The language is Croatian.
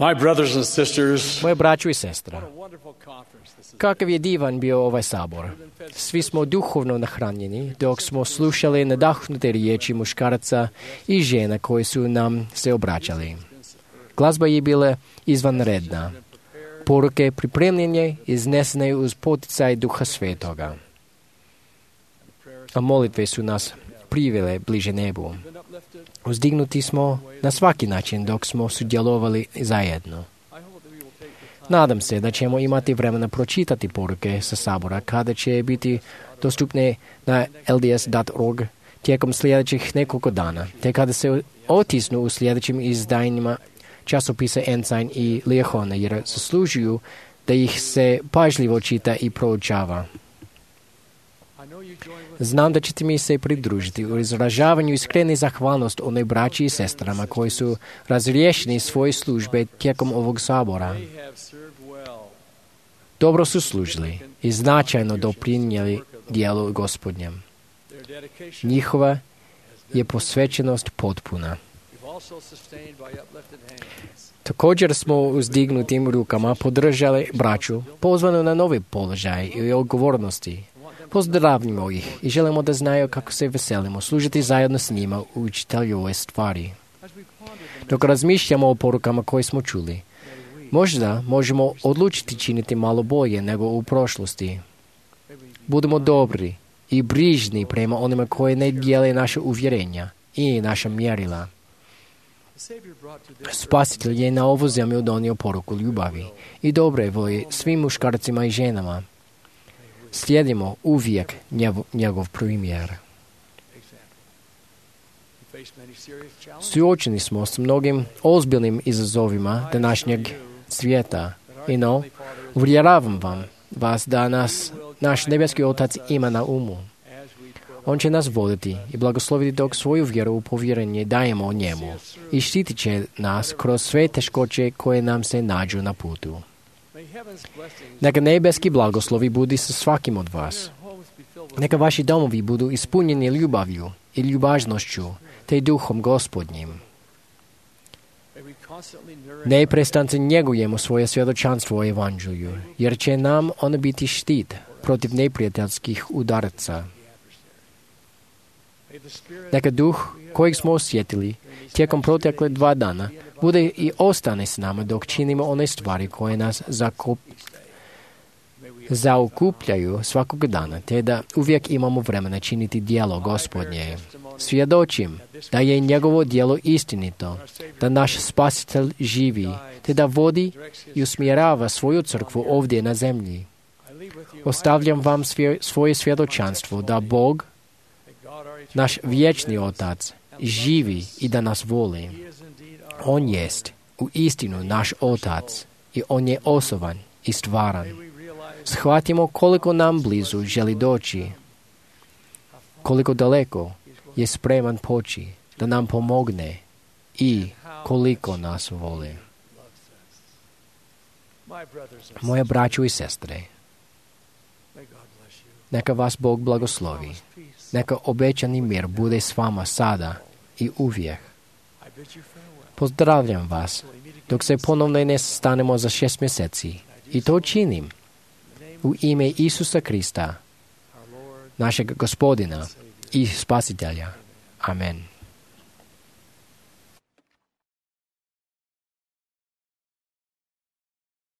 My brothers and sisters, Moje braćo i sestra, kakav je divan bio ovaj sabor. Svi smo duhovno nahranjeni dok smo slušali nadahnute riječi muškaraca i žena koji su nam se obraćali. Glazba je bila izvanredna. Poruke pripremljene iznesene uz poticaj Duha Svetoga. A molitve su nas privele bliže nebu. Uzdignuti smo na svaki način dok smo sudjelovali zajedno. Nadam se da ćemo imati vremena pročitati poruke sa sabora kada će biti dostupne na lds.org tijekom sljedećih nekoliko dana, te kada se otisnu u sljedećim izdanjima časopisa Ensign i Liehona, jer zaslužuju da ih se pažljivo čita i proučava. Znam da ćete mi se pridružiti u izražavanju iskrene zahvalnost onoj braći i sestrama koji su razriješeni svoje službe tijekom ovog sabora. Dobro su služili i značajno doprinijeli dijelu Gospodnjem. Njihova je posvećenost potpuna. Također smo uzdignutim rukama podržali braću pozvanu na novi položaj i odgovornosti. Pozdravimo ih i želimo da znaju kako se veselimo služiti zajedno s njima u učitelju ove stvari. Dok razmišljamo o porukama koje smo čuli, možda možemo odlučiti činiti malo bolje nego u prošlosti. Budemo dobri i brižni prema onima koji ne dijele naše uvjerenja i naša mjerila. Spasitelj je na ovu zemlju donio poruku ljubavi i dobre volje svim muškarcima i ženama. Slijedimo uvijek njegov primjer. Suočeni smo s mnogim ozbiljnim izazovima današnjeg svijeta. Uvjeravam vas da naš nebeski Otac ima na umu. On će nas voditi i blagosloviti dok svoju vjeru u povjerenje dajemo njemu i štitit će nas kroz sve teškoće koje nam se nađu na putu. Neka nebeski blagoslovi budi sa svakim od vas. Neka vaši domovi budu ispunjeni ljubavlju i ljubaznošću, te duhom Gospodnjim. Neprestance njegujemo svoje svjedočanstvo o evanđelju, jer će nam ono biti štit protiv neprijateljskih udaraca. Neka duh kojeg smo osjetili tijekom protekle 2 dana bude i ostane s nama dok činimo one stvari koje nas zaokupljaju svakog dana, te da uvijek imamo vremena činiti djelo Gospodnje. Svjedočim da je njegovo djelo istinito, da naš Spasitelj živi, te da vodi i usmjerava svoju crkvu ovdje na zemlji. Ostavljam vam svoje svjedočanstvo da Bog, naš vječni Otac, živi i da nas voli. On jest u istinu naš Otac i On je osoban i stvaran. Shvatimo koliko nam blizu želi doći, koliko daleko je spreman poći da nam pomogne i koliko nas voli. Moje braćo i sestre, neka vas Bog blagoslovi. Neka obećani mir bude s vama sada i uvijek. Pozdravljam vas dok se ponovno ne sastanemo za 6 mjeseci. I to činim u ime Isusa Krista, našeg Gospodina i Spasitelja. Amen.